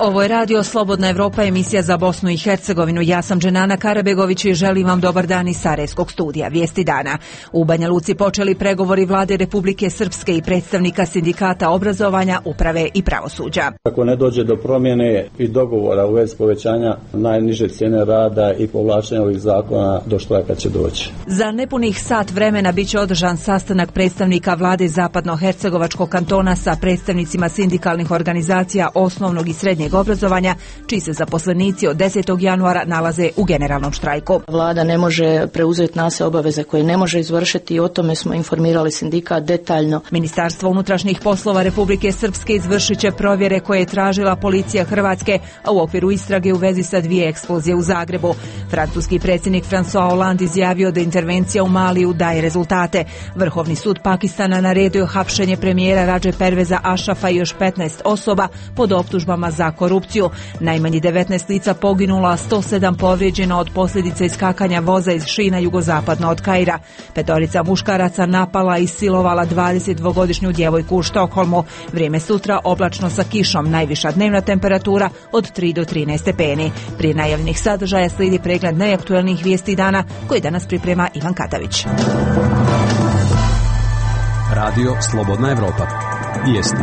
Ovo je Radio Slobodna Evropa, emisija za Bosnu i Hercegovinu. Ja sam Dženana Karabegović i želim vam dobar dan iz Sarajevskog studija. Vijesti dana. U Banja Luci počeli pregovori vlade Republike Srpske i predstavnika sindikata obrazovanja, uprave i pravosuđa. Ako ne dođe do promjene i dogovora u vezi povećanja najniže cijene rada i povlačenja ovih zakona, do štrajka će doći. Za nepunih sat vremena biće održan sastanak predstavnika vlade Zapadno-Hercegovačkog kantona sa predstavnicima sindikalnih organizacija osnovnog i srednjeg obrazovanja, čiji se zaposlenici od 10. januara nalaze u generalnom štrajku. Vlada ne može preuzeti na se obaveze koje ne može izvršiti i o tome smo informirali sindikat detaljno. Ministarstvo unutrašnjih poslova Republike Srpske izvršit će provjere koje je tražila policija Hrvatske, a u okviru istrage u vezi sa 2 eksplozije u Zagrebu. Francuski predsjednik François Hollande izjavio da intervencija u Maliju daje rezultate. Vrhovni sud Pakistana naredio hapšenje premijera Radže Perveza Ašrafa i još 15 osoba pod optužbama za korupciju. Najmanje 19 lica poginulo, a 107 povrijeđeno od posljedica iskakanja voza iz šina jugozapadno od Kaira. 5 muškaraca napala i silovala 22-godišnju djevojku u Štokholmu. Vrijeme sutra oblačno sa kišom, najviša dnevna temperatura od 3 do 13 stepeni. Prije najavljenih sadržaja slijedi pregled najaktuelnijih vijesti dana koji danas priprema Ivan Katavić. Radio Slobodna Evropa. Vijesti.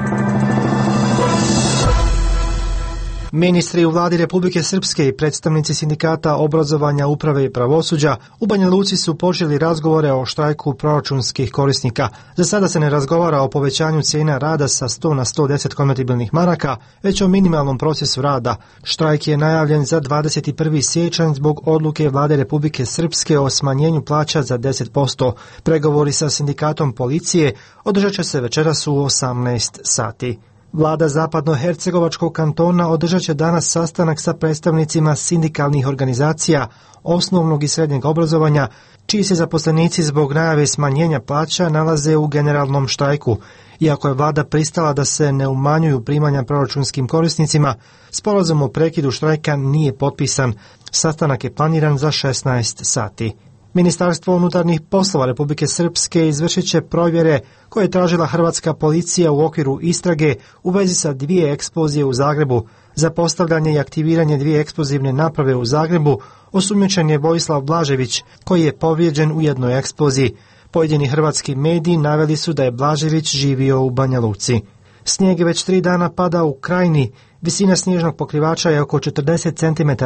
Ministri u vladi Republike Srpske i predstavnici sindikata obrazovanja, uprave i pravosuđa u Banja Luci su počeli razgovore o štrajku proračunskih korisnika. Za sada se ne razgovara o povećanju cijena rada sa 100 na 110 konvertibilnih maraka, već o minimalnom procesu rada. Štrajk je najavljen za 21. siječanj zbog odluke vlade Republike Srpske o smanjenju plaća za 10%. Pregovori sa sindikatom policije održat će se večeras u 18 sati. Vlada Zapadno-Hercegovačkog kantona održat će danas sastanak sa predstavnicima sindikalnih organizacija osnovnog i srednjeg obrazovanja, čiji se zaposlenici zbog najave smanjenja plaća nalaze u generalnom štrajku. Iako je vlada pristala da se ne umanjuju primanja proračunskim korisnicima, sporazum o prekidu štrajka nije potpisan. Sastanak je planiran za 16 sati. Ministarstvo unutarnjih poslova Republike Srpske izvršit će provjere koje je tražila hrvatska policija u okviru istrage u vezi sa 2 eksplozije u Zagrebu. Za postavljanje i aktiviranje 2 eksplozivne naprave u Zagrebu osumnjičen je Vojislav Blažević, koji je povrijeđen u jednoj eksploziji. Pojedini hrvatski mediji naveli su da je Blažević živio u Banja Luci. Snijeg već 3 dana pada u Krajini. Visina snježnog pokrivača je oko 40 cm.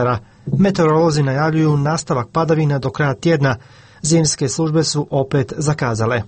Meteorolozi najavljuju nastavak padavina do kraja tjedna. Zimske službe su opet zakazale.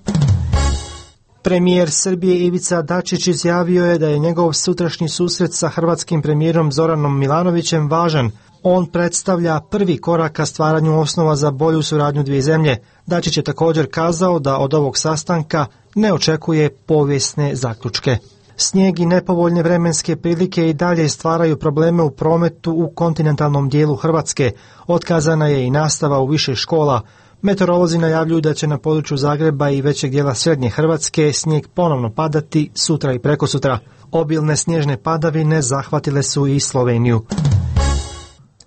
Premijer Srbije Ivica Dačić izjavio je da je njegov sutrašnji susret sa hrvatskim premijerom Zoranom Milanovićem važan. On predstavlja prvi korak ka stvaranju osnova za bolju suradnju dvije zemlje. Dačić je također kazao da od ovog sastanka ne očekuje povijesne zaključke. Snijeg i nepovoljne vremenske prilike i dalje stvaraju probleme u prometu u kontinentalnom dijelu Hrvatske. Otkazana je i nastava u više škola. Meteorolozi najavljuju da će na području Zagreba i većeg dijela srednje Hrvatske snijeg ponovno padati sutra i prekosutra. Obilne snježne padavine zahvatile su i Sloveniju.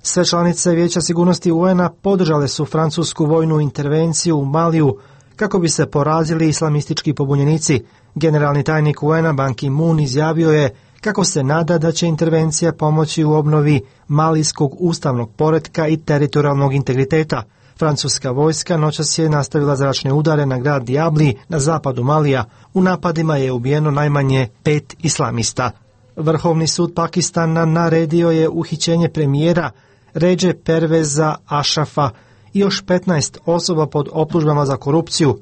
Sve članice Vijeća sigurnosti UN-a podržale su francusku vojnu intervenciju u Maliju kako bi se porazili islamistički pobunjenici. Generalni tajnik UN-a Ban Ki-moon izjavio je kako se nada da će intervencija pomoći u obnovi malijskog ustavnog poretka i teritorijalnog integriteta. Francuska vojska noćas je nastavila zračne udare na grad Diabli na zapadu Malija. U napadima je ubijeno najmanje 5 islamista. Vrhovni sud Pakistana naredio je uhićenje premijera Radže Perveza Ašrafa i još 15 osoba pod optužbama za korupciju.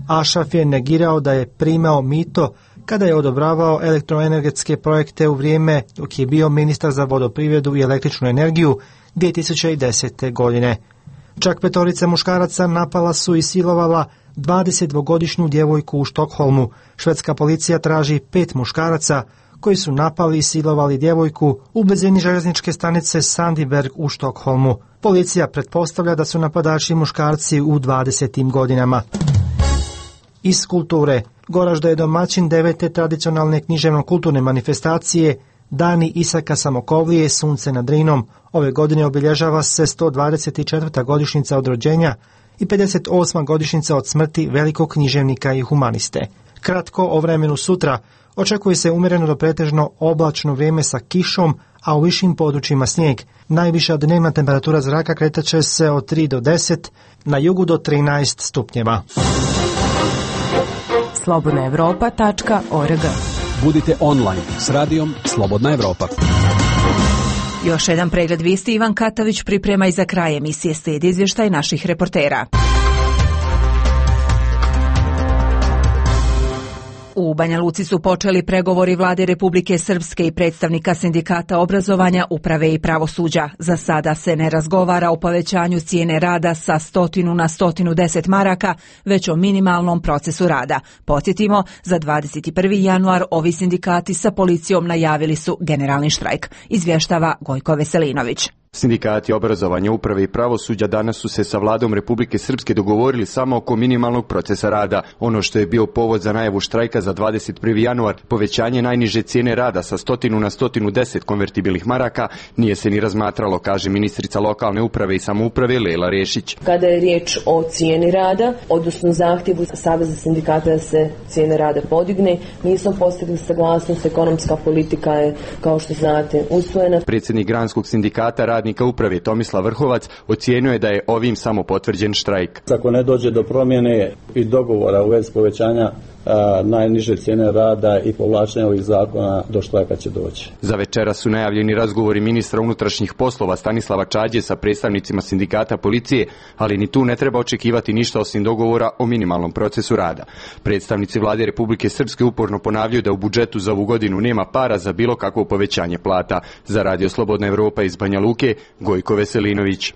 Ašraf je negirao da je primao mito kada je odobravao elektroenergetske projekte u vrijeme dok je bio ministar za vodoprivredu i električnu energiju 2010. godine. Čak 5 muškaraca napala su i silovala 22-godišnju djevojku u Štokholmu. Švedska policija traži 5 muškaraca koji su napali i silovali djevojku u blizini željezničke stanice Sandberg u Štokholmu. Policija pretpostavlja da su napadači muškarci u 20. godinama. Iz kulture. Goražda je domaćin 9. tradicionalne književno-kulturne manifestacije Dani Isaka Samokovlije, Sunce nad Drinom. Ove godine obilježava se 124. godišnjica od rođenja i 58. godišnjica od smrti velikog književnika i humaniste. Kratko o vremenu sutra. Očekuje se umjereno do pretežno oblačno vrijeme sa kišom, a u višim područjima snijeg. Najviša dnevna temperatura zraka kretat će se od 3 do 10, na jugu do 13 stupnjeva. slobodnaevropa.org. Budite online s radijom Slobodna Evropa. Još jedan pregled vijesti Ivan Katavić priprema i za kraj emisije slijedi izvještaj naših reportera. U Banja Luci su počeli pregovori vlade Republike Srpske i predstavnika sindikata obrazovanja, uprave i pravosuđa. Za sada se ne razgovara o povećanju cijene rada sa 100 na 110 maraka, već o minimalnom procesu rada. Podsjetimo, za 21. januar ovi sindikati sa policijom najavili su generalni štrajk, izvještava Gojko Veselinović. Sindikati obrazovanja, uprave i pravosuđa danas su se sa vladom Republike Srpske dogovorili samo oko minimalnog procesa rada. Ono što je bio povod za najavu štrajka za 21. januar, povećanje najniže cijene rada sa 100 na 110 konvertibilnih maraka, nije se ni razmatralo, kaže ministrica lokalne uprave i samouprave Lela Rešić. Kada je riječ o cijeni rada, odnosno zahtjevu Saveza sindikata da se cijene rada podigne, nismo postigli saglasnost, ekonomska politika je, kao što znate, usvojena. Predsjednik Granskog sindikata radnika uprave Tomislav Vrhovac ocijenio je da je ovim samo potvrđen štrajk. Ako ne dođe do promjene i dogovora u vezi povećanja najniže cijene rada i povlačenja ovih zakona, do štrajka će doći. Za večera su najavljeni razgovori ministra unutrašnjih poslova Stanislava Čađe sa predstavnicima sindikata policije, ali ni tu ne treba očekivati ništa osim dogovora o minimalnom procesu rada. Predstavnici vlade Republike Srpske uporno ponavljaju da u budžetu za ovu godinu nema para za bilo kakvo povećanje plata. Za Radio Slobodna Evropa iz Banja Luke, Gojko Veselinović.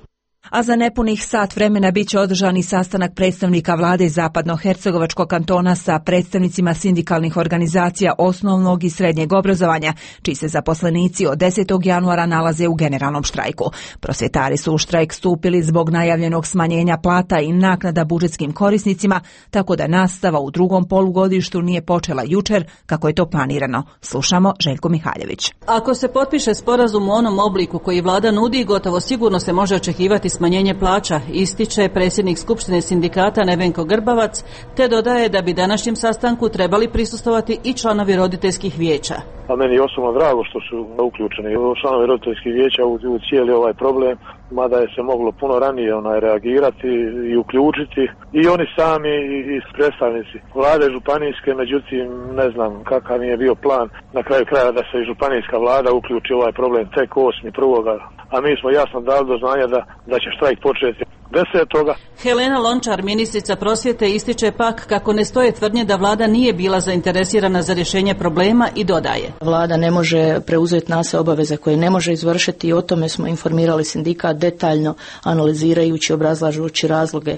A za nepunih sat vremena bit će održani sastanak predstavnika vlade Zapadnohercegovačkog kantona sa predstavnicima sindikalnih organizacija osnovnog i srednjeg obrazovanja, čiji se zaposlenici od 10. januara nalaze u generalnom štrajku. Prosvjetari su u štrajk stupili zbog najavljenog smanjenja plata i naknada budžetskim korisnicima, tako da nastava u drugom polugodištu nije počela jučer kako je to planirano. Slušamo Željko Mihaljević. Ako se potpiše sporazum u onom obliku koji vlada nudi, gotovo sigurno se može očekivati smanjenje plaća, ističe predsjednik Skupštine sindikata Nevenko Grbavac, te dodaje da bi današnjem sastanku trebali prisustvovati i članovi roditeljskih vijeća. A meni je osobno drago što su uključeni članovi roditeljskih vijeća u cijeli ovaj problem, mada je se moglo puno ranije reagirati i uključiti i oni sami i predstavnici vlade županijske, međutim ne znam kakav je bio plan na kraju kraja da se i županijska vlada uključi ovaj problem tek 8.1. A mi smo jasno dali do znanja da će štrajk početi 10. Helena Lončar, ministrica prosvjete, ističe pak kako ne stoje tvrdnje da vlada nije bila zainteresirana za rješenje problema i dodaje. Vlada ne može preuzeti na se obaveze koje ne može izvršiti i o tome smo informirali sindikat detaljno analizirajući, obrazlažući razloge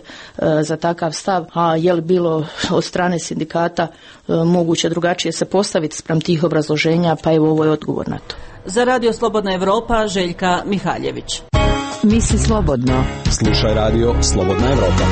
za takav stav, a je li bilo od strane sindikata moguće drugačije se postaviti spram tih obrazloženja, pa evo ovo je odgovor na to. Za Radio Slobodna Evropa, Željka Mihaljević. Misli slobodno. Slušaj Radio Slobodna Evropa.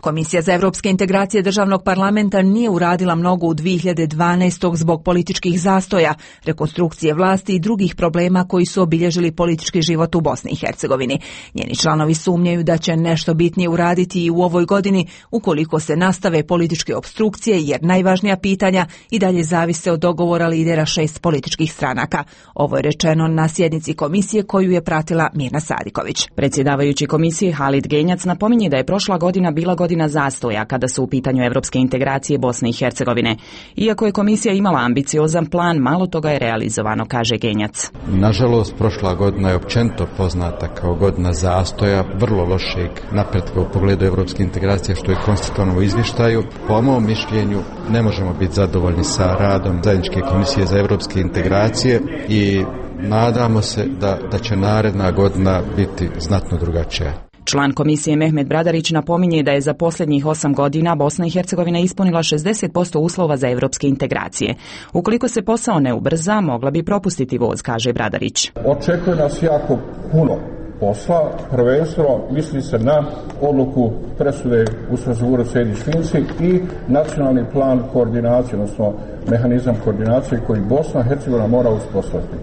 Komisija za evropske integracije državnog parlamenta nije uradila mnogo u 2012. zbog političkih zastoja, rekonstrukcije vlasti i drugih problema koji su obilježili politički život u Bosni i Hercegovini. Njeni članovi sumnjaju da će nešto bitnije uraditi i u ovoj godini ukoliko se nastave političke opstrukcije, jer najvažnija pitanja i dalje zavise od dogovora lidera 6 političkih stranaka. Ovo je rečeno na sjednici komisije koju je pratila Mirna Sadiković. Predsjedavajući komisije Halid Genjac napominje da je prošla godina bila godina zastoja kada su u pitanju evropske integracije Bosne i Hercegovine. Iako je komisija imala ambiciozan plan, malo toga je realizovano, kaže Genjac. Nažalost, prošla godina je općenito poznata kao godina zastoja, vrlo lošeg napretka u pogledu evropske integracije, što je konstatovano u izvještaju. Po mom mišljenju ne možemo biti zadovoljni sa radom zajedničke komisije za evropske integracije i nadamo se da će naredna godina biti znatno drugačija. Član komisije Mehmet Bradarić napominje da je za posljednjih 8 godina Bosna i Hercegovina ispunila 60% uslova za evropske integracije. Ukoliko se posao ne ubrza, mogla bi propustiti voz, kaže Bradarić. Očekuje nas jako puno posla, prvenstveno misli se na odluku presude u Strasbourgu Sejdić-Finci i nacionalni plan koordinacije, odnosno mehanizam koordinacije koji Bosna i Hercegovina mora uspostaviti.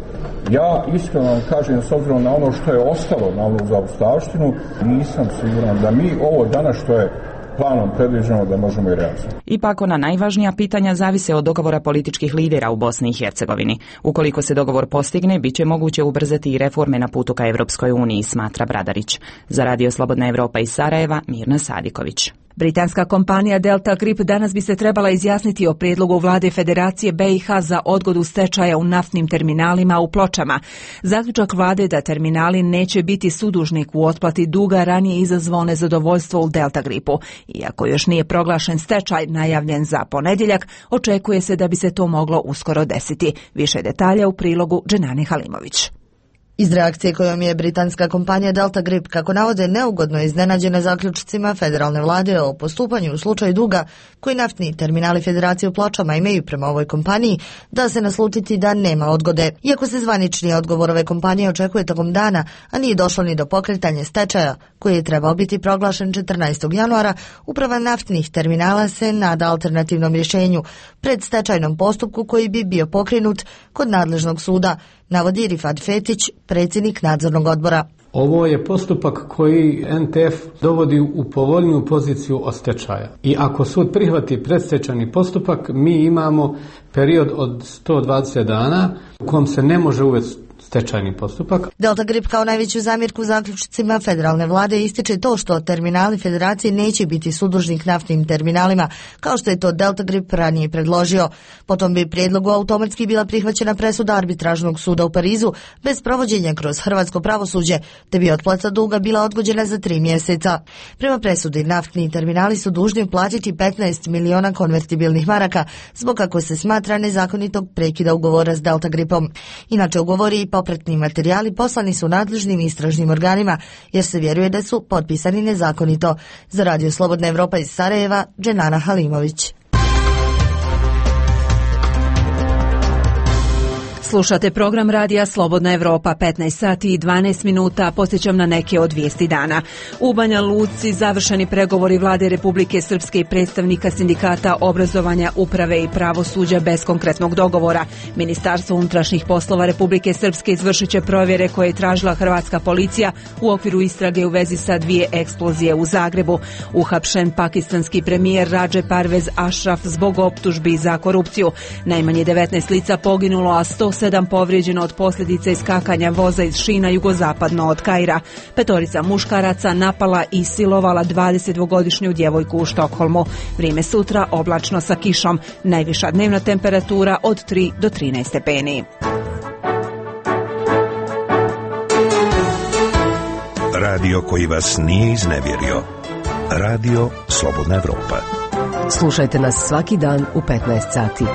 Ja iskreno vam kažem, s obzirom na ono što je ostalo na onu zaostavštinu, nisam siguran da mi ovo danas što je planom predviđeno da možemo i realizovati. Ipak ona najvažnija pitanja zavise od dogovora političkih lidera u Bosni i Hercegovini. Ukoliko se dogovor postigne, bit će moguće ubrzati i reforme na putu ka Evropskoj uniji, smatra Bradarić. Za Radio Slobodna Evropa iz Sarajeva, Mirna Sadiković. Britanska kompanija Delta Grip danas bi se trebala izjasniti o prijedlogu vlade Federacije BiH za odgodu stečaja u naftnim terminalima u Pločama. Zaključak vlade da terminali neće biti sudužnik u otplati duga ranije izazvao nezadovoljstvo u Delta Gripu. Iako još nije proglašen stečaj najavljen za ponedjeljak, očekuje se da bi se to moglo uskoro desiti. Više detalja u prilogu Dženane Halimović. Iz reakcije kojom je britanska kompanija Delta Grip, kako navode, neugodno iznenađena zaključcima federalne vlade o postupanju u slučaju duga koji naftni terminali Federacije u Pločama imaju prema ovoj kompaniji, da se naslutiti da nema odgode. Iako se zvanični odgovor ove kompanije očekuje tokom dana, a nije došlo ni do pokretanja stečaja, koji je trebao biti proglašen 14. januara, uprava naftnih terminala se nada alternativnom rješenju pred stečajnom postupku koji bi bio pokrenut kod nadležnog suda, navodi Rifat Fetić, predsjednik nadzornog odbora. Ovo je postupak koji NTF dovodi u povoljniju poziciju od stečaja. I ako sud prihvati predstečajni postupak, mi imamo period od 120 dana u kojem se ne može uvesti stečajni postupak. Delta Grip kao najveću zamjerku zaključcima federalne vlade ističe to što terminali Federacije neće biti sudužnik naftnim terminalima, kao što je to Delta Grip ranije predložio. Potom bi prijedlogu automatski bila prihvaćena presuda arbitražnog suda u Parizu bez provođenja kroz hrvatsko pravosuđe, te bi otplata duga bila odgođena za 3 mjeseca. Prema presudi, naftni terminali su dužni platiti 15 miliona konvertibilnih maraka zbog kako se smatra nezakonitog prekida ugovora s Delta Gripom. Inače, ugovori i popratni materijali poslani su nadležnim istražnim organima, jer se vjeruje da su potpisani nezakonito. Za Radio Slobodna Evropa iz Sarajeva, Dženana Halimović. Slušate program Radija Slobodna Evropa, 15 sati i 12 minuta. Podsjećam na neke od vijesti dana. U Banja Luci završeni pregovori vlade Republike Srpske i predstavnika sindikata obrazovanja, uprave i pravosuđa bez konkretnog dogovora. Ministarstvo unutrašnjih poslova Republike Srpske izvršit će provjere koje je tražila hrvatska policija u okviru istrage u vezi sa 2 eksplozije u Zagrebu. Uhapšen pakistanski premijer Radže Parvez Ashraf zbog optužbi za korupciju. Najmanje 19 lica poginulo, a 107 povrijeđeno od posljedica iskakanja voza iz šina jugozapadno od Kaira. 5 muškaraca napala i silovala 22-godišnju djevojku u Štokholmu. Vrijeme sutra oblačno sa kišom. Najviša dnevna temperatura od 3 do 13 stepeni. Radio koji vas nije iznevjerio. Radio Slobodna Evropa. Slušajte nas svaki dan u 15 sati.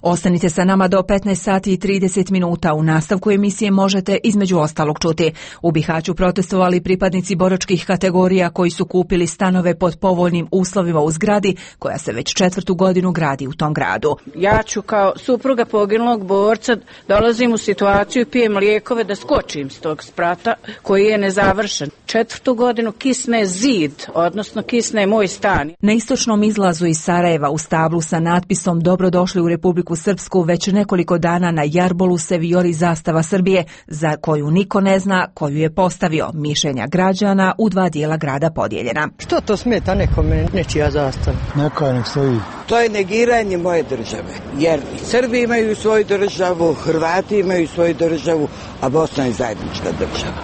Ostanite sa nama do 15 sati i 30 minuta. U nastavku emisije možete između ostalog čuti: u Bihaću protestovali pripadnici boračkih kategorija koji su kupili stanove pod povoljnim uslovima u zgradi koja se već 4. godinu gradi u tom gradu. Ja ću kao supruga poginulog borca dolazim u situaciju, pijem lijekove da skočim s tog sprata koji je nezavršen. 4. godinu kisne zid, odnosno kisne moj stan. Na istočnom izlazu iz Sarajeva u stablu sa natpisom "Dobrodošli u Republiku Srpsku" već nekoliko dana na jarbolu se vijori zastava Srbije, za koju niko ne zna koju je postavio. Mišljenja građana u 2 dijela grada podijeljena. Što to smeta nekome nečija zastava? Neka nek stoji. To je negiranje moje države, jer Srbi imaju svoju državu, Hrvati imaju svoju državu, a Bosna je zajednička država.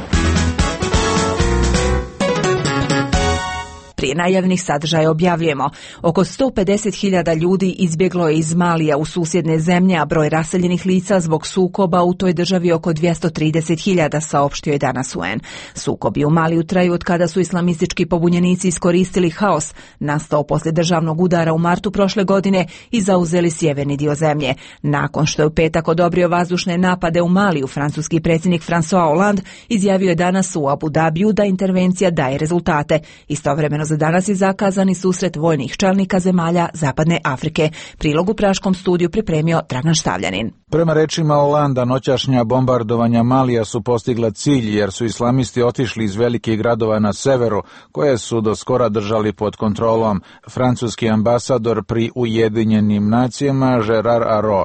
Prije najavljenih sadržaja objavljujemo: oko 150.000 ljudi izbjeglo je iz Malija u susjedne zemlje, a broj raseljenih lica zbog sukoba u toj državi oko 230.000, saopštio je danas UN. Sukobi u Maliju traju od kada su islamistički pobunjenici iskoristili haos nastao poslije državnog udara u martu prošle godine i zauzeli sjeverni dio zemlje. Nakon što je u petak odobrio vazdušne napade u Maliju, francuski predsjednik François Hollande izjavio je danas u Abu Dhabiju da intervencija daje rezultate. Istovremeno za danas je zakazani susret vojnih čelnika zemalja Zapadne Afrike. Prilog u praškom studiju pripremio Dragan Štavljanin. Prema rečima Holanda, noćašnja bombardovanja Malija su postigla cilj jer su islamisti otišli iz velikih gradova na severu, koje su do skora držali pod kontrolom. Francuski ambasador pri Ujedinjenim nacijama Gerard Arro.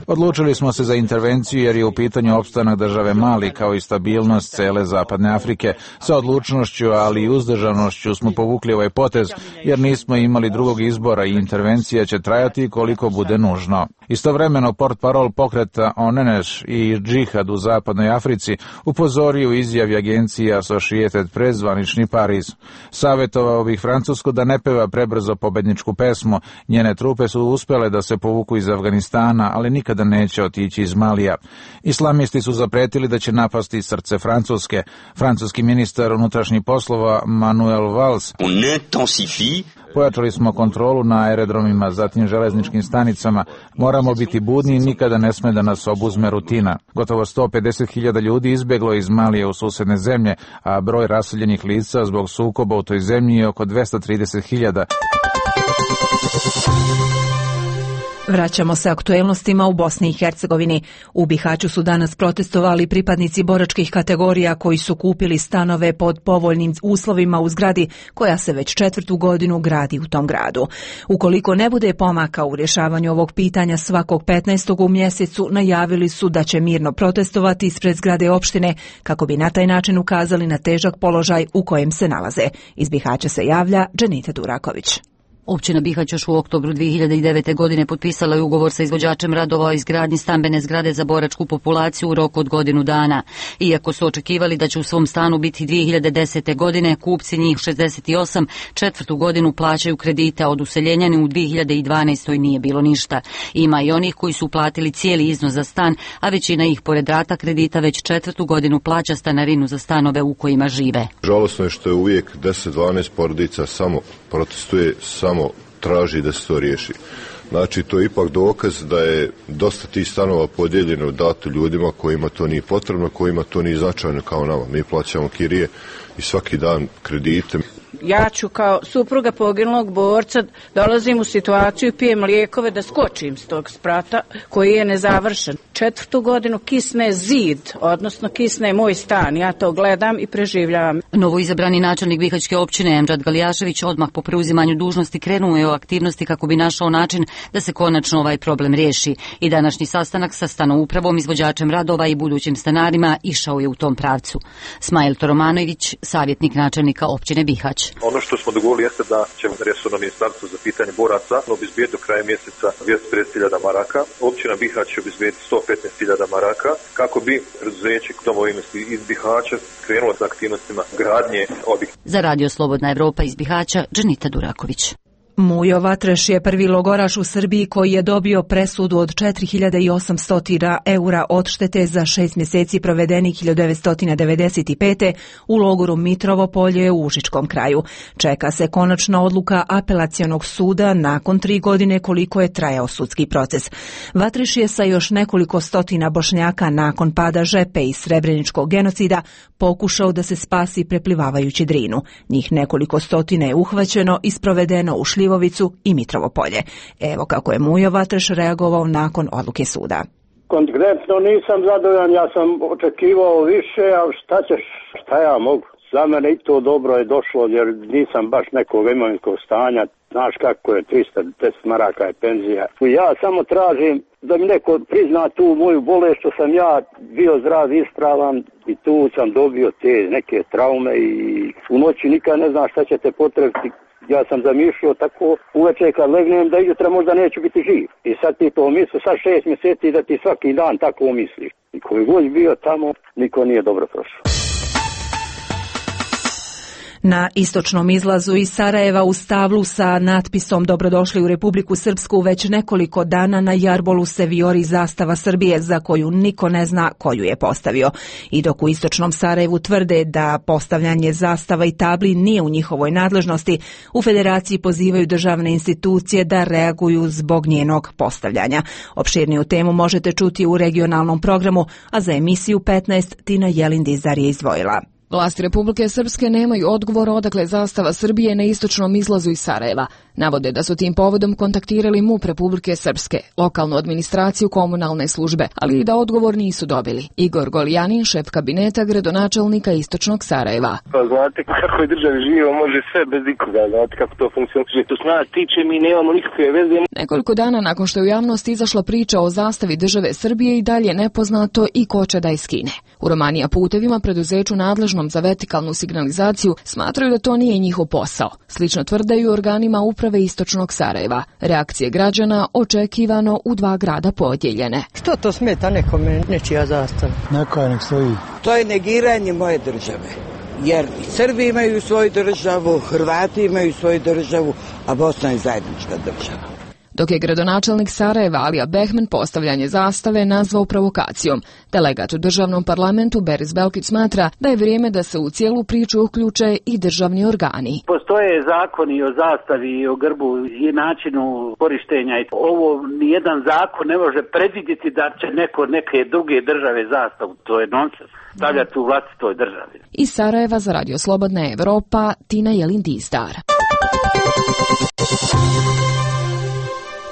Odlučili smo se za intervenciju jer je u pitanju opstanak države Mali kao i stabilnost cele Zapadne Afrike. Sa odlučnošću, ali i uzdržanošću smo povukli ovaj potez jer nismo imali drugog izbora i intervencija će trajati koliko bude nužno. Istovremeno portparol pokreta Oneneš i džihad u Zapadnoj Africi upozorio u izjavi agencije Associated Press zvanični Pariz. Savjetovao bih Francusku da ne peva prebrzo pobedničku pesmu. Njene trupe su uspjele da se povuku iz Afganistana, ali nikada neće otići iz Malija. Islamisti su zapretili da će napasti srce Francuske. Francuski ministar unutrašnjih poslova Manuel Valls: pojačali smo kontrolu na aerodromima, zatim železničkim stanicama. Moramo biti budni i nikada ne sme da nas obuzme rutina. Gotovo 150.000 ljudi izbjeglo iz Malija u susjedne zemlje, a broj raseljenih lica zbog sukoba u toj zemlji je oko 230.000. Vraćamo se aktuelnostima u Bosni i Hercegovini. U Bihaću su danas protestovali pripadnici boračkih kategorija koji su kupili stanove pod povoljnim uslovima u zgradi koja se već 4. godinu gradi u tom gradu. Ukoliko ne bude pomaka u rješavanju ovog pitanja svakog 15. u mjesecu, najavili su da će mirno protestovati ispred zgrade opštine kako bi na taj način ukazali na težak položaj u kojem se nalaze. Iz Bihaća se javlja Dženita Duraković. Općina Bihać još u oktobru 2009. godine potpisala je ugovor sa izvođačem radova o izgradnji stambene zgrade za boračku populaciju u roku od godinu dana. Iako su očekivali da će u svom stanu biti 2010. godine, kupci njih 68 4. godinu plaćaju kredite, a od useljenja u 2012. nije bilo ništa. Ima i onih koji su uplatili cijeli iznos za stan, a većina ih pored rata kredita već 4. godinu plaća stanarinu za stanove u kojima žive. Žalosno je što je uvijek 10-12 porodica samo protestuje, samo traži da se to riješi. Znači, to je ipak dokaz da je dosta tih stanova podijeljeno, dato ljudima kojima to nije potrebno, kojima to nije značajno kao nama. Mi plaćamo kirije i svaki dan kredite. Ja ću kao supruga poginulog borca dolazim u situaciju i pijem lijekove da skočim s tog sprata koji je nezavršen. 4. godinu kisne zid, odnosno kisne moj stan. Ja to gledam i preživljavam. Novoizabrani načelnik Bihaćke općine Emdžad Galijašević odmah po preuzimanju dužnosti krenuo je u aktivnosti kako bi našao način da se konačno ovaj problem riješi. I današnji sastanak sa stanoupravom, izvođačem radova i budućim stanarima išao je u tom pravcu. Smajl Toromanović, savjetnik načelnika općine Bihać. Ono što smo dogovorili jeste da ćemo resorno ministarstvo za pitanje boraca obezbijeti do kraja mjeseca 250.000 maraka. Općina Bihać će obezbijeti 115.000 maraka kako bi preduzeće domovinnosti iz Bihaća krenulo sa aktivnostima gradnje objekta. Za Radio Slobodna Evropa iz Bihaća, Dženita Duraković. Mujo Vatreš je prvi logoraš u Srbiji koji je dobio presudu od 4.800 eura odštete za 6 mjeseci provedenih 1995. u logoru Mitrovo polje u Užičkom kraju. Čeka se konačna odluka apelacionog suda nakon 3 godine koliko je trajao sudski proces. Vatreš je sa još nekoliko stotina Bošnjaka nakon pada Žepe i Srebreničkog genocida pokušao da se spasi preplivavajući Drinu. Njih nekoliko stotina je uhvaćeno i sprovedeno u Šljivovicu i Mitrovo polje. Evo kako je Mujo Vatreš reagovao nakon odluke suda. Konkretno nisam zadovoljan, ja sam očekivao više, ali šta ja mogu? Za mene i to dobro je došlo jer nisam baš nekog imovinskog stanja. Znaš kako je, 310 maraka je penzija. Ja samo tražim da mi neko prizna tu moju bolest što sam ja bio zdrav, ispravan i tu sam dobio te neke traume i u noći nikad ne znam šta će te potrebiti. Ja sam zamišljao tako uveče kad legnem da jutra možda neću biti živ. I sad ti to misli, sad 6 mjeseci da ti svaki dan tako misliš. I koji god bio tamo, niko nije dobro prošao. Na istočnom izlazu iz Sarajeva u stablu sa natpisom Dobrodošli u Republiku Srpsku već nekoliko dana na jarbolu se vijori zastava Srbije za koju niko ne zna koju je postavio. I dok u istočnom Sarajevu tvrde da postavljanje zastava i tabli nije u njihovoj nadležnosti, u Federaciji pozivaju državne institucije da reaguju zbog njenog postavljanja. Opširniju temu možete čuti u regionalnom programu, a za emisiju 15 Tina Jelindizar je izdvojila. Vlasti Republike Srpske nemaju odgovor odakle zastava Srbije na istočnom izlazu iz Sarajeva. Navode da su tim povodom kontaktirali MUP Republike Srpske, lokalnu administraciju, komunalne službe, ali i da odgovor nisu dobili. Igor Golijanin, šef kabineta gradonačelnika istočnog Sarajeva. Pa znate kako je državi živo, može sve bez nikoga, znate kako to funkcionira. To s nas tiče, mi nemamo nikakve veze. Nekoliko dana nakon što je u javnost izašla priča o zastavi države Srbije i dalje nepoznato i ko će da je skine. U Romanija putevima, preduzeću nadležnom za vertikalnu signalizaciju, smatraju da to nije njihov posao. Slično tvrdaju organima uprave istočnog Sarajeva. Reakcije građana očekivano u 2 grada podijeljene. Što to smeta nekome nečija zastava? Neka nek stoji. To je negiranje moje države. Jer Srbi imaju svoju državu, Hrvati imaju svoju državu, a Bosna je zajednička država. Dok je gradonačelnik Sarajeva Alija Behman postavljanje zastave nazvao provokacijom. Delegat u državnom parlamentu Beris Belkić smatra da je vrijeme da se u cijelu priču uključe i državni organi. Postoje zakoni o zastavi i o grbu i načinu korištenja. Ovo nijedan zakon ne može predvidjeti da će neko neke druge države zastavu. To je nonsens. Stavljati u vlastitoj državi. Iz Sarajeva za Radio Slobodna Evropa, Tina Jelin-Dizdar.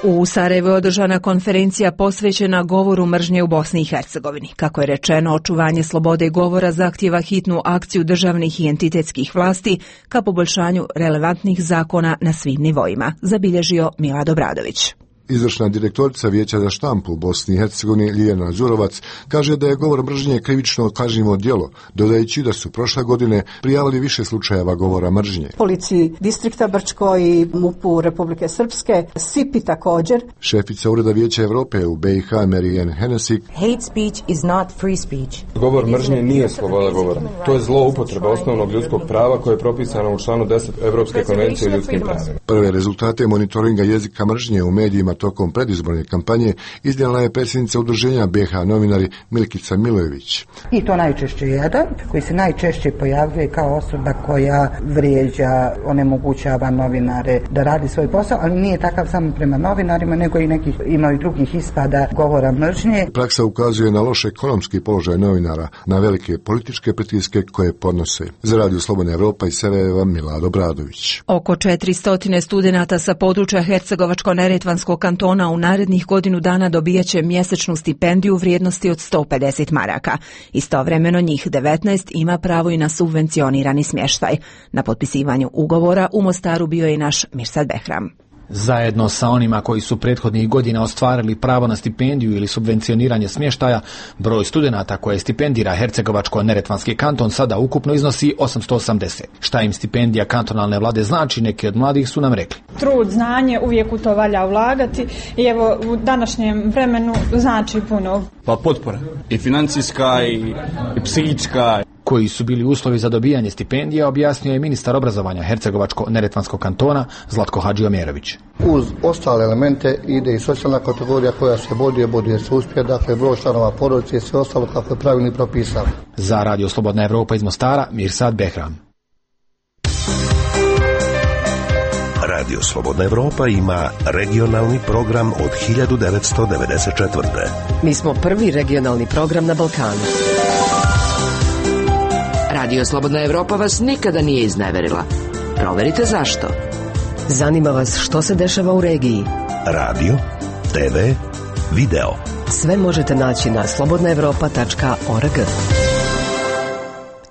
U Sarajevu je održana konferencija posvećena govoru mržnje u Bosni i Hercegovini. Kako je rečeno, očuvanje slobode govora zahtijeva hitnu akciju državnih i entitetskih vlasti ka poboljšanju relevantnih zakona na svim nivoima, zabilježio Milad Obradović. Izvršna direktorica Vijeća za štampu u Bosni i Hercegovini Ljiljana Đurovac kaže da je govor mržnje krivično kažnjivo djelo, dodajući da su prošle godine prijavili više slučajeva govora mržnje. Policiji distrikta Brčko i MUP-u Republike Srpske, SIP-i također. Šefica Ureda Vijeća Evrope u BiH Marijan Henesik. Hate speech is not free speech. Govor mržnje nije sloboda govora. To je zloupotreba osnovnog ljudskog prava koje je propisano u članu 10 Evropske konvencije o ljudskim pravima. Prve rezultate monitoringa jezika mržnje u medijima tokom predizborne kampanje iznijela je predsjednica udruženja BiH novinari Milkica Milojević. I to najčešće jedan koji se najčešće pojavljuje kao osoba koja vrijeđa, onemogućava novinare da radi svoj posao, ali nije takav samo prema novinarima, nego i nekih ima i drugih ispada govora mržnje. Praksa ukazuje na loš ekonomski položaj novinara, na velike političke pritiske koje podnose. Za Radio Slobodna Evropa iz Sarajeva Milad Obradović. Oko 400 studenata sa područja Hercegovačko-Neretvanskog kantona u narednih godinu dana dobijaće mjesečnu stipendiju u vrijednosti od 150 maraka. Istovremeno njih 19 ima pravo i na subvencionirani smještaj. Na potpisivanju ugovora u Mostaru bio je i naš Mirsad Behram. Zajedno sa onima koji su prethodnih godina ostvarili pravo na stipendiju ili subvencioniranje smještaja, broj studenata koje stipendira Hercegovačko-Neretvanski kanton sada ukupno iznosi 880. Šta im stipendija kantonalne vlade znači, neki od mladih su nam rekli. Trud, znanje, uvijek u to valja ulagati i evo u današnjem vremenu znači puno. Pa potpora, i financijska i psihička. Koji su bili uslovi za dobijanje stipendija, objasnio je ministar obrazovanja Hercegovačko-Neretvanskog kantona Zlatko Hadžiomerović. Uz ostale elemente ide i socijalna kategorija koja se boduje se uspije, dakle broj članova porodice i sve ostalo kako je pravilno propisano. Za Radio Slobodna Evropa iz Mostara, Mirsad Behram. Radio Slobodna Evropa ima regionalni program od 1994. Mi smo prvi regionalni program na Balkanu. Radio Slobodna Evropa vas nikada nije izneverila. Proverite zašto. Zanima vas što se dešava u regiji. Radio, TV, video. Sve možete naći na slobodnaevropa.org.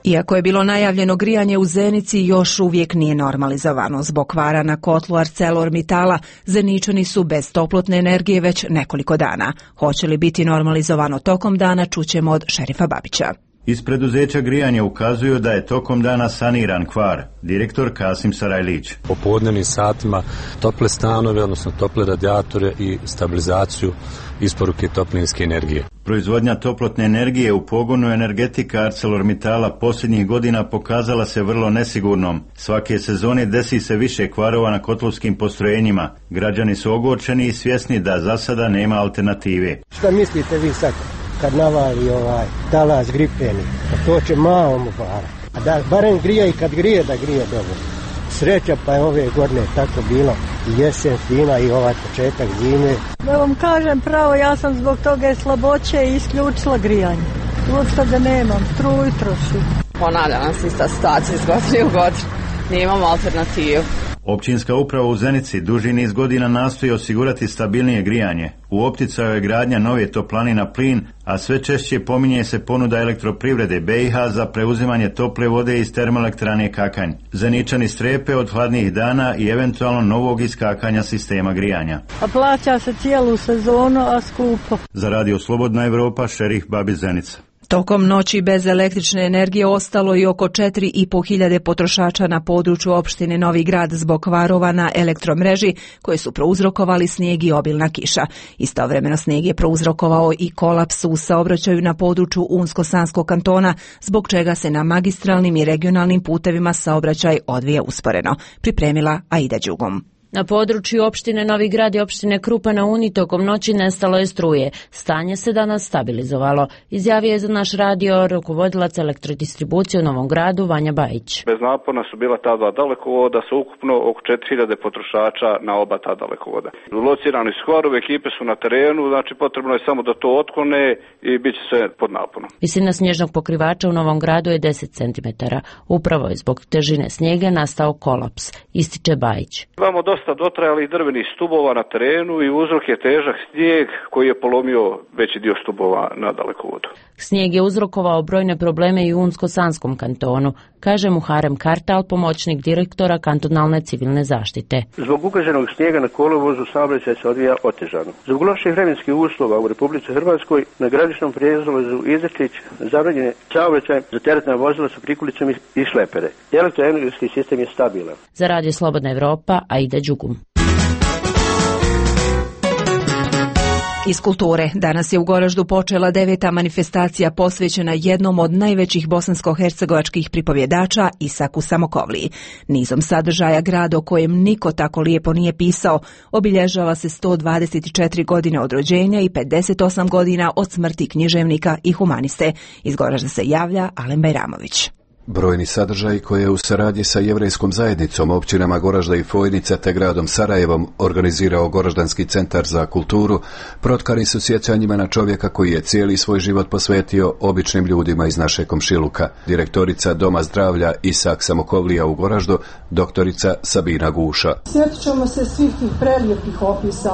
Iako je bilo najavljeno grijanje u Zenici, još uvijek nije normalizovano. Zbog kvara na kotlu ArcelorMittala, Zeničani su bez toplotne energije već nekoliko dana. Hoće li biti normalizovano tokom dana, čućemo od šerifa Babića. Iz preduzeća grijanja ukazuju da je tokom dana saniran kvar. Direktor Kasim Sarajlić. Po podnevnim satima tople stanove, odnosno tople radijatore i stabilizaciju isporuke toplinske energije. Proizvodnja toplotne energije u pogonu energetika ArcelorMittala posljednjih godina pokazala se vrlo nesigurnom. Svake sezone desi se više kvarova na kotlovskim postrojenjima. Građani su ogorčeni i svjesni da za sada nema alternative. Šta mislite vi sad? Kad navali talas gripeni, to će malo mu para. A da barem grije i kad grije, da grije dobro. Sreća pa je ove godine tako bilo i jesen fina i ovaj početak zime. Da vam kažem pravo, ja sam zbog toga slaboće i isključila grijanje. Uopšte da nemam, struju trošim. Ponavlja nam se ista situacija iz godine u godinu. Nemamo alternativu. Općinska uprava u Zenici duži niz godina nastoji osigurati stabilnije grijanje. U opticaju je gradnja nove toplane na plin, a sve češće pominje se ponuda elektroprivrede BiH za preuzimanje tople vode iz termoelektrane Kakanj. Zeničani strepe od hladnih dana i eventualno novog iskakanja sistema grijanja. A plaća se cijelu sezonu, a skupo. Za Radio Slobodna Evropa, Šerif Babi Zenica. Tokom noći bez električne energije ostalo i oko 4.500 potrošača na području opštine Novi Grad zbog kvarova na elektromreži koje su prouzrokovali snijeg i obilna kiša. Istovremeno snijeg je prouzrokovao i kolaps u saobraćaju na području Unsko-Sanskog kantona, zbog čega se na magistralnim i regionalnim putevima saobraćaj odvija usporeno. Pripremila Aida Đugom. Na području opštine Novi Grad i opštine Krupa na Uni tokom noći nestalo je struje. Stanje se danas stabilizovalo. Izjavio je za naš radio rukovodilac elektrodistribucije u Novom Gradu Vanja Bajić. Bez napona su bila ta dva dalekovoda sa ukupno oko 4000 potrošača na oba ta dalekovoda. Locirani su kvarovi, ekipe su na terenu, znači potrebno je samo da to otklone i bit će sve pod naponom. Visina snježnog pokrivača u Novom Gradu je 10 cm. Upravo je zbog težine snijega nastao kolaps, ističe Bajić. Imamo dosta dotrajalih drvenih stubova na terenu i uzrok je težak snijeg koji je polomio veći dio stubova na dalekovodu. Snijeg je uzrokovao brojne probleme i u Unsko-Sanskom kantonu, kaže Muharem Kartal, pomoćnik direktora kantonalne civilne zaštite. Zbog ukaženog snijega na kolovozu saobraćaj se odvija otežano. Zbog loših vremenskih uslova u Republici Hrvatskoj na graničnom prijelazu Izrčić zabranjen je saobraćaj za teretna vozila sa prikulicom i šlepere. Elektroenergetski sistem je stabilan. Za Radio Slobodna Evropa, Aida Đugum. Iz kulture. Danas je u Goraždu počela 9. manifestacija posvećena jednom od najvećih bosansko-hercegovačkih pripovjedača, Isaku Samokovliji. Nizom sadržaja grad o kojem niko tako lijepo nije pisao obilježava se 124 godine od rođenja i 58 godina od smrti književnika i humaniste. Iz Goražda se javlja Alen Bajramović. Brojni sadržaji koje je u saradnji sa jevrejskom zajednicom, općinama Goražda i Fojnica te gradom Sarajevom organizirao Goraždanski centar za kulturu, protkani su sjećanjima na čovjeka koji je cijeli svoj život posvetio običnim ljudima iz naše komšiluka. Direktorica Doma zdravlja Isak Samokovlija u Goraždu, doktorica Sabina Guša. Sjetit ćemo se svih tih prelijepih opisa,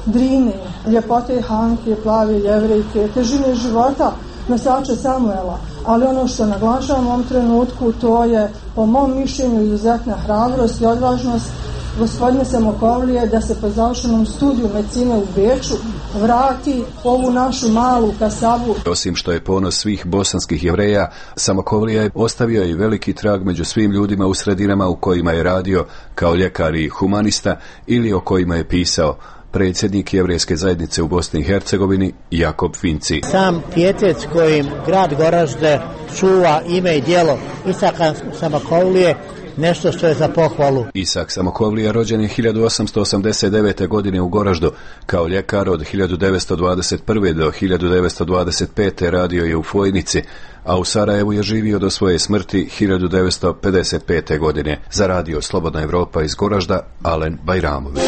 Drine, ljepote Hanke, plave jevrejke, težine života nosača Samuela, ali ono što naglašavam u ovom trenutku, to je po mom mišljenju izuzetna hrabrost i odvažnost gospodine Samokovlije da se po završenom studiju medicine u Beču vrati ovu našu malu kasabu. Osim što je ponos svih bosanskih Jevreja, Samokovlija je ostavio i veliki trag među svim ljudima u sredinama u kojima je radio kao ljekar i humanista ili o kojima je pisao. Predsjednik jevrejske zajednice u Bosni i Hercegovini Jakob Finci. Sam pijetet kojim grad Goražde čuva ime i djelo Isaka Samokovlije nešto što je za pohvalu. Isak Samokovlija rođen je 1889. godine u Goraždu. Kao ljekar od 1921. do 1925. radio je u Fojnici, a u Sarajevu je živio do svoje smrti 1955. godine. Za Radio Slobodna Evropa iz Goražda, Alen Bajramović.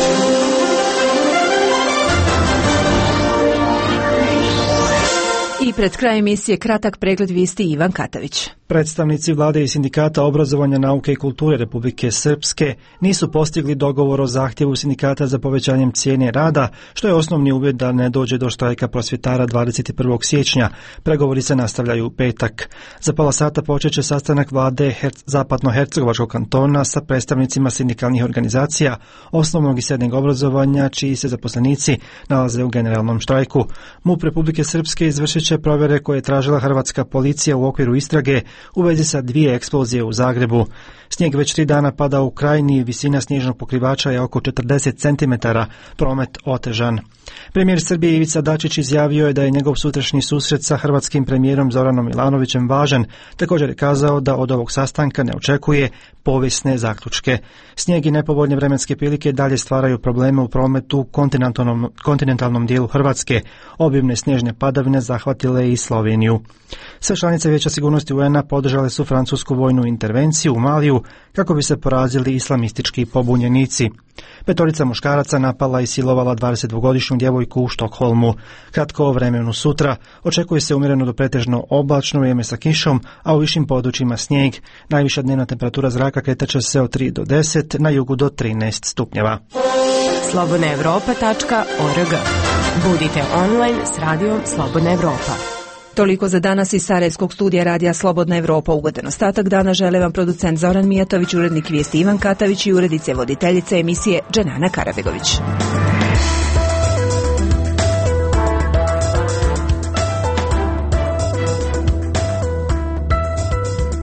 I pred krajem emisije kratak pregled vijesti Ivan Katavić. Predstavnici vlade i sindikata obrazovanja, nauke i kulture Republike Srpske nisu postigli dogovor o zahtjevu sindikata za povećanjem cijene rada, što je osnovni uvjet da ne dođe do štrajka prosvjetara 21. siječnja. Pregovori se nastavljaju u petak. Za pola sata počeće sastanak vlade Zapadno-hercegovačkog kantona sa predstavnicima sindikalnih organizacija osnovnog i srednjeg obrazovanja, čiji se zaposlenici nalaze u generalnom štrajku. MUP Republike Srpske izvršit će provjere koje je tražila hrvatska policija u okviru istrage u vezi sa 2 eksplozije u Zagrebu. Snijeg već 3 dana pada u Krajini, visina snježnog pokrivača je oko 40 cm, promet otežan. Premijer Srbije Ivica Dačić izjavio je da je njegov sutrašnji susret sa hrvatskim premijerom Zoranom Milanovićem važan. Također je kazao da od ovog sastanka ne očekuje povijesne zaključke. Snijeg i nepovoljne vremenske prilike dalje stvaraju probleme u prometu u kontinentalnom dijelu Hrvatske. Obimne snježne padavine zahvatile pogodile i Sloveniju. Sve članice Vijeća sigurnosti UN-a podržale su francusku vojnu intervenciju u Maliju kako bi se porazili islamistički pobunjenici. 5 muškaraca napala i silovala 22-godišnju djevojku u Štokholmu. Kratko o vremenu sutra očekuje se umjereno do pretežno oblačno vrijeme sa kišom, a u višim područjima snijeg. Najviša dnevna temperatura zraka kretaće se od 3 do 10, na jugu do 13 stupnjeva. slobodnaevropa.org. Budite online s radijom Slobodna Evropa. Toliko za danas iz Sarajevskog studija radija Slobodna Evropa. Ugodan ostatak dana žele vam producent Zoran Mijatović, urednik vijesti Ivan Katavić i urednice voditeljice emisije Dženana Karabegović.